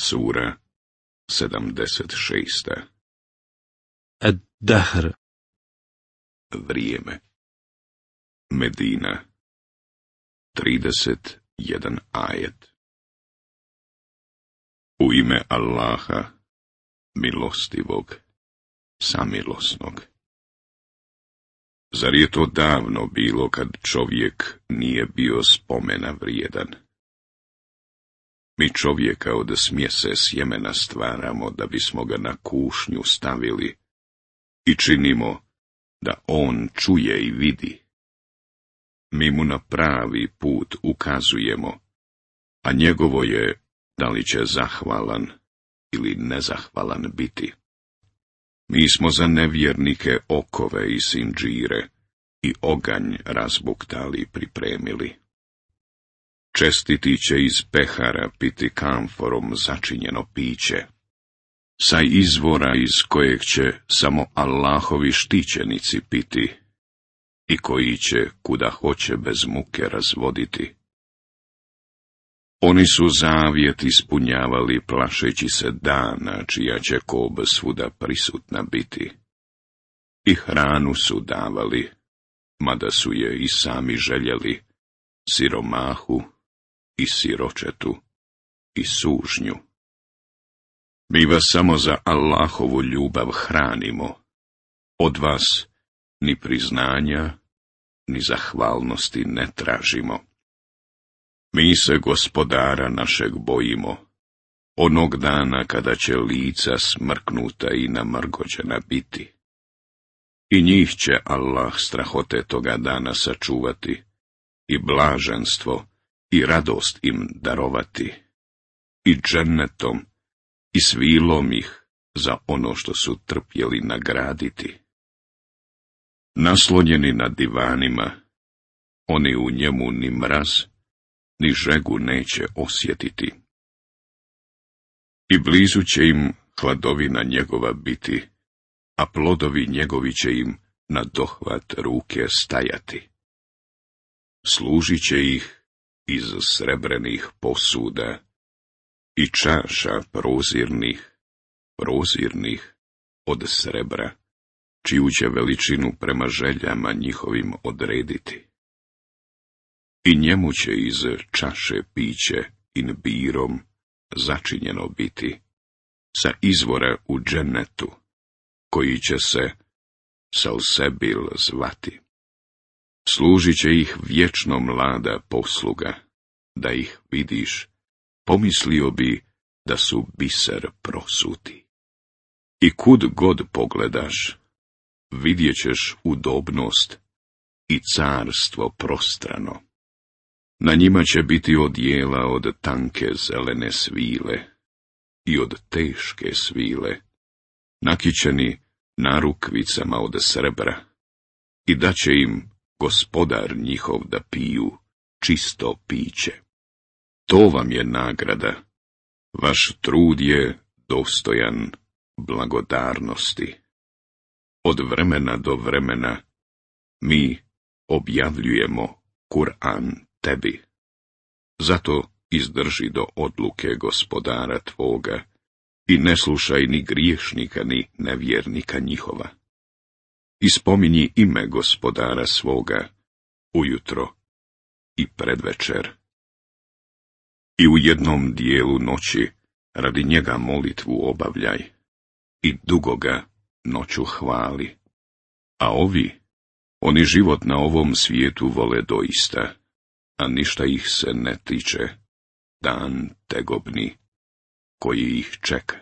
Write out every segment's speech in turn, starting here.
Sura 76. Ad-Dahr. Vrijeme. Medina. 31 ajet. U ime Allaha, milostivog, samilosnog. Zar je to davno bilo kad čovjek nije bio spomena vrijedan? Mi čovjeka od smjese sjemena stvaramo da bismo ga na kušnju stavili i činimo da on čuje i vidi. Mi mu na pravi put ukazujemo, a njegovo je da li će zahvalan ili nezahvalan biti. Mi smo za nevjernike okove i sindžire i oganj razbuktali i pripremili. Čestiti će iz pehara piti kamforom začinjeno piće, sa izvora iz kojeg će samo Allahovi štićenici piti i koji će kuda hoće bez muke razvoditi. Oni su zavjet ispunjavali plašeći se dana čija će kob svuda prisutna biti. I hranu su davali, mada su je i sami željeli, siromahu i siročetu i sužnju. Mi vas samo za Allahovu ljubav hranimo. Od vas ni priznanja, ni zahvalnosti ne tražimo. Mi se Gospodara našeg bojimo, onog dana kada će lica smrknuta i namrgođena biti. I njih će Allah strahote toga dana sačuvati, i blaženstvo, i radost im darovati, i džennetom, i svilom ih za ono što su trpjeli nagraditi. Naslonjeni na divanima, oni u njemu ni mraz, ni žegu neće osjetiti. I blizu će im hladovina njegova biti, a plodovi njegovi će im na dohvat ruke stajati. Služit će ih iz srebrenih posuda i čaša prozirnih od srebra, čiju će veličinu prema željama njihovim odrediti. I njemu će iz čaše piće inbirom začinjeno biti, sa izvora u džennetu, koji će se Salsebil zvati. Služit će ih vječno mlada posluga, da ih vidiš, pomislio bi da su biser prosuti. I kud god pogledaš, vidjet ćeš udobnost i carstvo prostrano. Na njima će biti odjela od tanke zelene svile i od teške svile, nakićeni narukvicama od srebra, i da će im Gospodar njihov da piju čisto piće. To vam je nagrada, vaš trud je dostojan blagodarnosti. Od vremena do vremena mi objavljujemo Kur'an tebi. Zato izdrži do odluke Gospodara tvoga i ne slušaj ni griješnika ni nevjernika njihova. I spominji ime Gospodara svoga ujutro i predvečer. I u jednom dijelu noći radi njega molitvu obavljaj i dugo ga noću hvali. A oni život na ovom svijetu vole doista, a ništa ih se ne tiče, dan tegobni, koji ih čeka.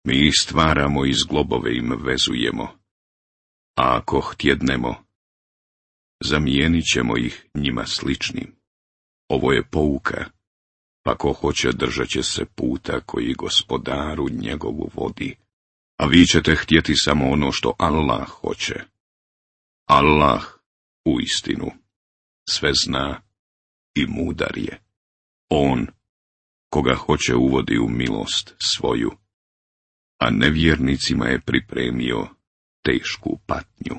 Mi ih stvaramo i zglobove im vezujemo, a ako htjednemo, zamijenit ćemo ih njima sličnim. Ovo je pouka, pa ko hoće držat će se puta koji Gospodaru njegovu vodi, a vi ćete htjeti samo ono što Allah hoće. Allah, uistinu, sve zna i mudar je. On, koga hoće uvodi u milost svoju, a nevjernicima je pripremio tešku patnju.